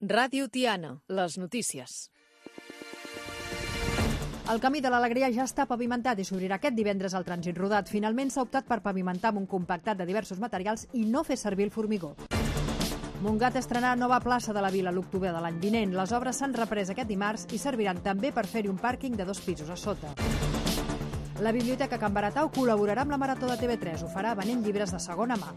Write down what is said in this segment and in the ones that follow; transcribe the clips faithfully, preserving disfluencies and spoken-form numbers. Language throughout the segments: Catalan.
Ràdio Tiana, les notícies. El Camí de l'Alegria ja està pavimentat i s'obrirà aquest divendres al trànsit rodat. Finalment s'ha optat per pavimentar amb un compactat de diversos materials i no fer servir el formigó. Montgat estrenarà nova plaça de la Vila l'octubre de l'any vinent. Les obres s'han reprès aquest dimarts i serviran també per fer-hi un pàrquing de dos pisos a sota. La Biblioteca Can Baratau col·laborarà amb la Marató de T V tres. Ho farà venent llibres de segona mà.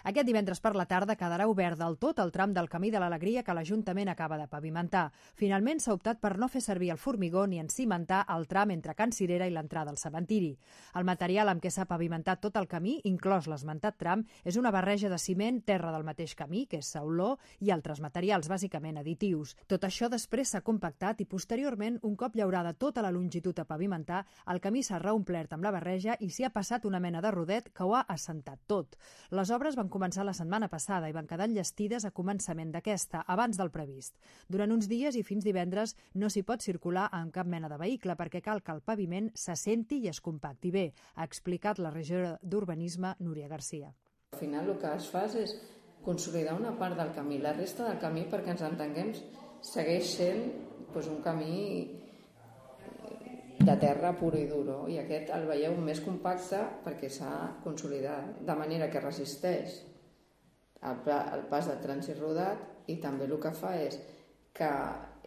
Aquest divendres per la tarda quedarà obert del tot el tram del Camí de l'Alegria que l'Ajuntament acaba de pavimentar. Finalment s'ha optat per no fer servir el formigó ni encimentar el tram entre Can Cirera i l'entrada al cementiri. El material amb què s'ha pavimentat tot el camí, inclòs l'esmentat tram, és una barreja de ciment, terra del mateix camí, que és sauló, i altres materials, bàsicament additius. Tot això després s'ha compactat i posteriorment, un cop llaurada tota la longitud a pavimentar, el camí s'ha reomplert amb la barreja i s'hi ha passat una mena de rodet que ho ha assentat tot. Les obres van començar la setmana passada i van quedar enllestides a començament d'aquesta, abans del previst. Durant uns dies i fins divendres no s'hi pot circular amb cap mena de vehicle perquè cal que el paviment s'assenti i es compacti bé, ha explicat la regidora d'Urbanisme, Núria Garcia. Al final el que es fa és consolidar una part del camí. La resta del camí, perquè ens entenguem, segueix sent doncs, un camí de terra pura i duro, i aquest el veieu més compacte perquè s'ha consolidat, de manera que resisteix el, el pas del trànsit rodat i també el que fa és que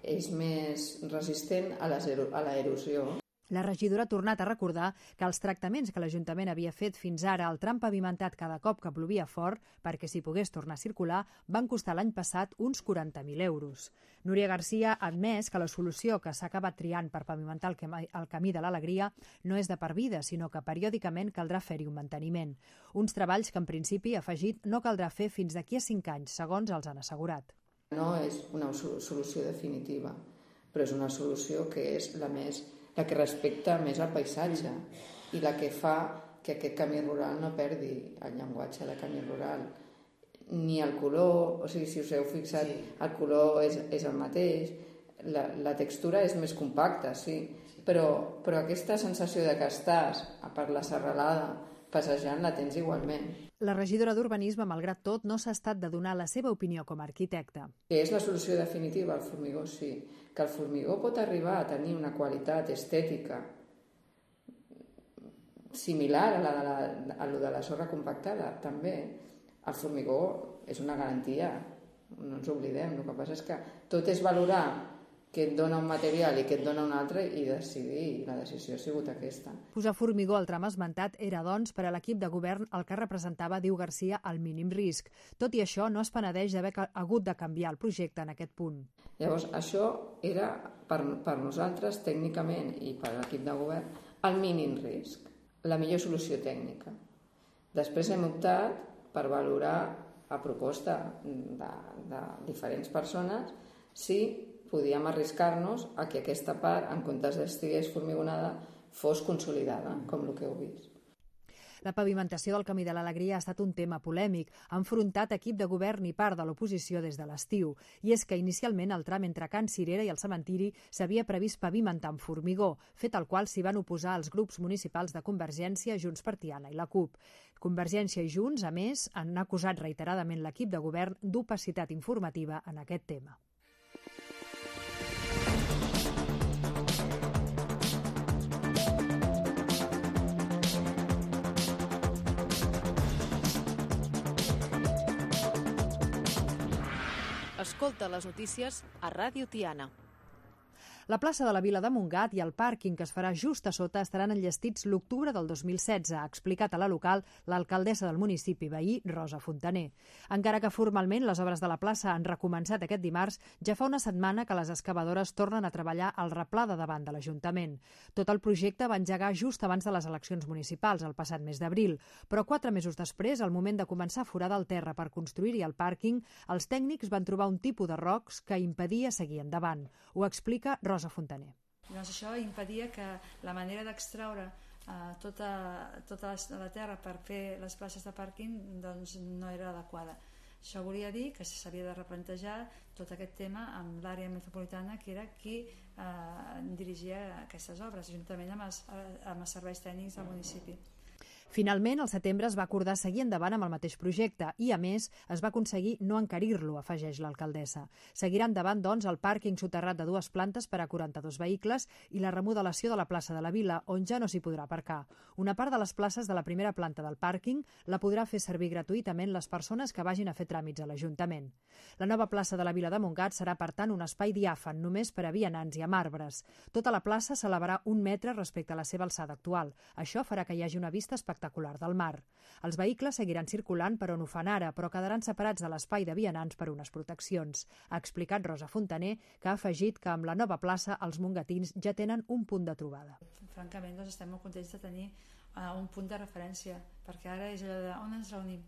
és més resistent a l'erosió. La regidora ha tornat a recordar que els tractaments que l'Ajuntament havia fet fins ara al tram pavimentat cada cop que plovia fort perquè s'hi pogués tornar a circular van costar l'any passat uns quaranta mil euros. Núria Garcia ha admès que la solució que s'ha acabat triant per pavimentar el, camí, el camí de l'Alegria no és de per vida, sinó que periòdicament caldrà fer-hi un manteniment. Uns treballs que en principi, ha afegit, no caldrà fer fins d'aquí a cinc anys, segons els han assegurat. No és una solució definitiva, però és una solució que és la més la que respecta més el paisatge i la que fa que aquest camí rural no perdi el llenguatge de camí rural. Ni el color, o sigui, si us heu fixat, sí. El color és, és el mateix, la, la textura és més compacta, sí, però, però aquesta sensació de que estàs per la serralada passejant la tens igualment. La regidora d'Urbanisme, malgrat tot, no s'ha estat de donar la seva opinió com a arquitecte. Que és la solució definitiva al formigó, sí. Que el formigó pot arribar a tenir una qualitat estètica similar a la de la, a la de la sorra compactada, també. El formigó és una garantia, no ens oblidem. El que passa és que tot és valorar que et dona un material i que et dona un altre i decidir, la decisió ha sigut aquesta. Posar formigó al tram esmentat era, doncs, per a l'equip de govern el que representava, diu Garcia, el mínim risc. Tot i això, no es penedeix d'haver hagut de canviar el projecte en aquest punt. Llavors, això era, per, per nosaltres, tècnicament, i per a l'equip de govern, el mínim risc, la millor solució tècnica. Després hem optat per valorar a proposta de, de diferents persones si podíem arriscar-nos a que aquesta part, en comptes d'estigués formigonada, fos consolidada, com el que heu vist. La pavimentació del Camí de l'Alegria ha estat un tema polèmic, ha enfrontat equip de govern i part de l'oposició des de l'estiu. I és que inicialment el tram entre Can Cirera i el cementiri s'havia previst pavimentar amb formigó, fet al qual s'hi van oposar els grups municipals de Convergència, Junts per Tiana i la CUP. Convergència i Junts, a més, han acusat reiteradament l'equip de govern d'opacitat informativa en aquest tema. Escolta les notícies a Ràdio Tiana. La plaça de la Vila de Montgat i el pàrquing que es farà just a sota estaran enllestits l'octubre del dos mil setze, ha explicat a la local l'alcaldessa del municipi veí, Rosa Fontaner. Encara que formalment les obres de la plaça han recomençat aquest dimarts, ja fa una setmana que les excavadores tornen a treballar al replà de davant de l'Ajuntament. Tot el projecte va engegar just abans de les eleccions municipals, el passat mes d'abril, però quatre mesos després, al moment de començar a forar del terra per construir-hi el pàrquing, els tècnics van trobar un tipus de rocs que impedia seguir endavant. Ho explica Rosa Rosa Fontaner. Doncs això impedia que la manera d'extraure eh, tota, tota la terra per fer les places de pàrquing doncs, no era adequada. Això volia dir que s'havia de replantejar tot aquest tema amb l'àrea metropolitana, que era qui eh, dirigia aquestes obres, juntament amb els, amb els serveis tècnics del municipi. Finalment, al setembre es va acordar seguir endavant amb el mateix projecte i, a més, es va aconseguir no encarir-lo, afegeix l'alcaldessa. Seguirà endavant, doncs, el pàrquing soterrat de dues plantes per a quaranta-dos vehicles i la remodelació de la plaça de la Vila, on ja no s'hi podrà aparcar. Una part de les places de la primera planta del pàrquing la podrà fer servir gratuïtament les persones que vagin a fer tràmits a l'Ajuntament. La nova plaça de la Vila de Montgat serà, per tant, un espai diàfan, només per a vianants i amb arbres. Tota la plaça s'elevarà un metre respecte a la seva alçada actual. Això farà que hi hagi una vista espectacular del mar. Els vehicles seguiran circulant per on ho fan ara, però quedaran separats de l'espai de vianants per unes proteccions. Ha explicat Rosa Fontaner, que ha afegit que amb la nova plaça els mongatins ja tenen un punt de trobada. Francament, doncs, estem molt contents de tenir uh, un punt de referència, perquè ara és allò de on ens reunim?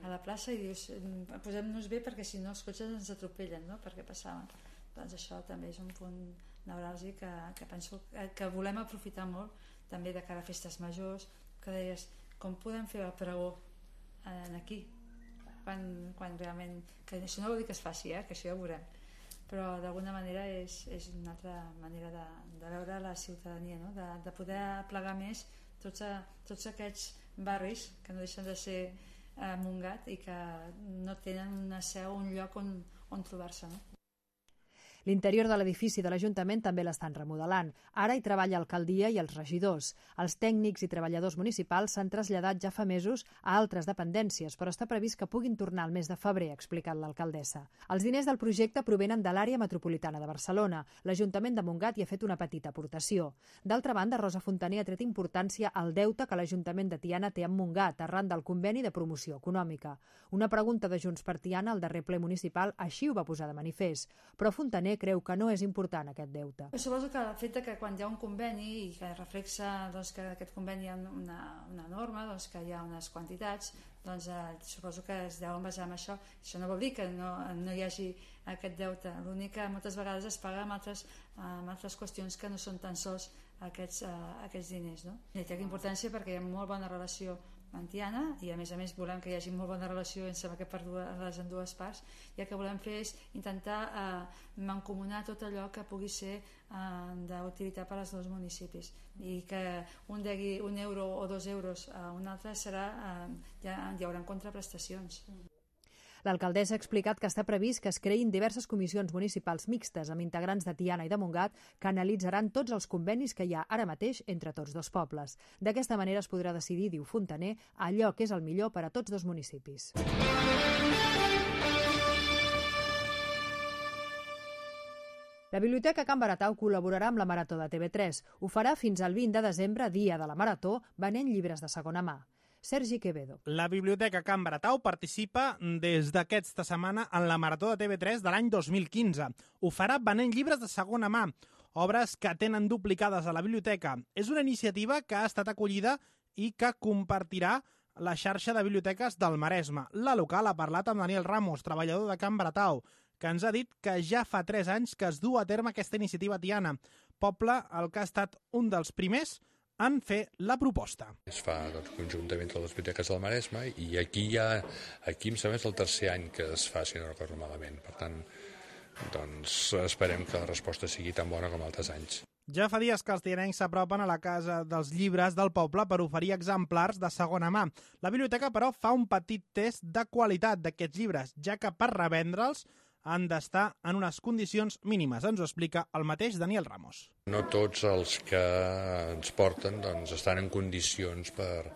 A la plaça, i dius, posem-nos bé perquè si no els cotxes ens atropellen, no? Perquè passaven. Doncs això també és un punt neuràlgic que, que penso que, que volem aprofitar molt, també de cara a festes majors, que deies, com podem fer el pregó en aquí? Quan, quan realment, que això no vol dir que es faci, eh? Que això ja ho veurem, però d'alguna manera és, és una altra manera de, de veure la ciutadania, no? de, de poder plegar més tots, a, tots aquests barris que no deixen de ser eh, Montgat i que no tenen una seu, un lloc on, on trobar-se, no? L'interior de l'edifici de l'Ajuntament també l'estan remodelant. Ara hi treballa l'alcaldia i els regidors. Els tècnics i treballadors municipals s'han traslladat ja fa mesos a altres dependències, però està previst que puguin tornar al mes de febrer, ha explicat l'alcaldessa. Els diners del projecte provenen de l'àrea metropolitana de Barcelona. L'Ajuntament de Montgat hi ha fet una petita aportació. D'altra banda, Rosa Fontaner ha tret importància al deute que l'Ajuntament de Tiana té amb Montgat, arran del conveni de promoció econòmica. Una pregunta de Junts per Tiana al darrer ple municipal així ho va posar de manifest, però Fontaner creu que no és important aquest deute. Suposo que el fet que quan hi ha un conveni i que reflexa doncs, que aquest conveni hi ha una, una norma, doncs, que hi ha unes quantitats, doncs, eh, suposo que es deuen basar en això. Això no vol dir que no, no hi hagi aquest deute. L'únic que moltes vegades es paga amb altres, amb altres qüestions que no són tan sols aquests, eh, aquests diners. No? I té importància perquè hi ha molt bona relació amb Tiana i a més a més volem que hi hagi molt bona relació per les en dues parts, i el que volem fer és intentar eh, mancomunar tot allò que pugui ser eh, d'utilitat per als dos municipis, i que un degui un euro o dos euros a un altre serà, eh, ja, hi haurà contraprestacions. L'alcaldessa ha explicat que està previst que es creïn diverses comissions municipals mixtes amb integrants de Tiana i de Montgat que analitzaran tots els convenis que hi ha ara mateix entre tots dos pobles. D'aquesta manera es podrà decidir, diu Fontaner, allò que és el millor per a tots dos municipis. La Biblioteca Can Baratau col·laborarà amb la Marató de T V tres. Ho farà fins al vint de desembre, dia de la Marató, venent llibres de segona mà. Sergi Quevedo. La Biblioteca Can Baratau participa des d'aquesta setmana en la Marató de T V tres de l'any dos mil quinze. Ho farà venent llibres de segona mà, obres que tenen duplicades a la biblioteca. És una iniciativa que ha estat acollida i que compartirà la xarxa de biblioteques del Maresme. La local ha parlat amb Daniel Ramos, treballador de Can Baratau, que ens ha dit que ja fa tres anys que es du a terme aquesta iniciativa a Tiana, poble el que ha estat un dels primers en fer la proposta. Es fa doncs, conjuntament amb les biblioteques del Maresme i aquí ja, aquí em sembla és el tercer any que es fa, si no recordo malament. Per tant, doncs, esperem que la resposta sigui tan bona com altres anys. Ja fa dies que els tianencs s'apropen a la Casa dels Llibres del poble per oferir exemplars de segona mà. La biblioteca, però, fa un petit test de qualitat d'aquests llibres, ja que per revendre'ls han d'estar en unes condicions mínimes. Ens ho explica el mateix Daniel Ramos. No tots els que ens porten doncs, estan en condicions per,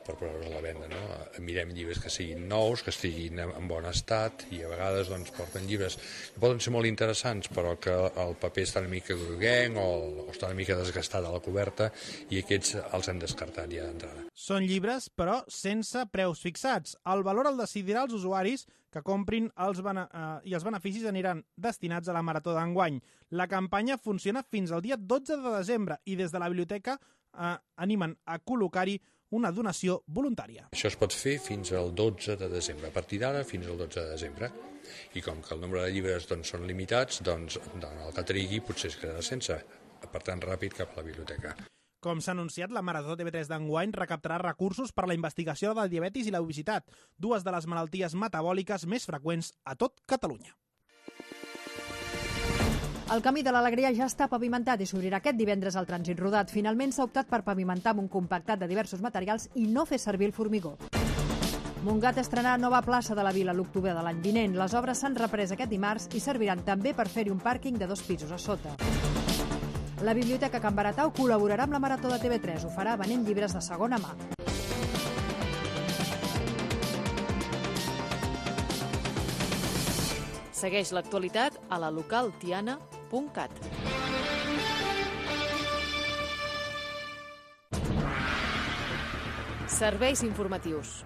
per posar-los a la venda. No? Mirem llibres que siguin nous, que estiguin en bon estat, i a vegades doncs, porten llibres que poden ser molt interessants, però que el paper està una mica groguenc o, o està una mica desgastat a la coberta, i aquests els hem descartat ja d'entrada. Són llibres, però sense preus fixats. El valor el decidirà els usuaris que comprin els bene eh, i els beneficis aniran destinats a la Marató d'enguany. La campanya funciona fins al dia dotze de desembre i des de la biblioteca eh, animen a col·locar-hi una donació voluntària. Això es pot fer fins al dotze de desembre, a partir d'ara fins al dotze de desembre. I com que el nombre de llibres doncs, són limitats, doncs el que trigui potser es quedarà sense, per tant ràpid cap a la biblioteca. Com s'ha anunciat, la Marató T V tres d'enguany recaptarà recursos per a la investigació del diabetis i la obesitat, dues de les malalties metabòliques més freqüents a tot Catalunya. El Camí de l'Alegria ja està pavimentat i s'obrirà aquest divendres al trànsit rodat. Finalment s'ha optat per pavimentar amb un compactat de diversos materials i no fer servir el formigó. Montgat estrenarà nova plaça de la Vila a l'octubre de l'any vinent. Les obres s'han reprès aquest dimarts i serviran també per fer-hi un pàrquing de dos pisos a sota. La Biblioteca Can Baratau col·laborarà amb la Marató de T V tres. Ho farà venent llibres de segona mà. Segueix l'actualitat a la local tiana punt cat. Serveis informatius.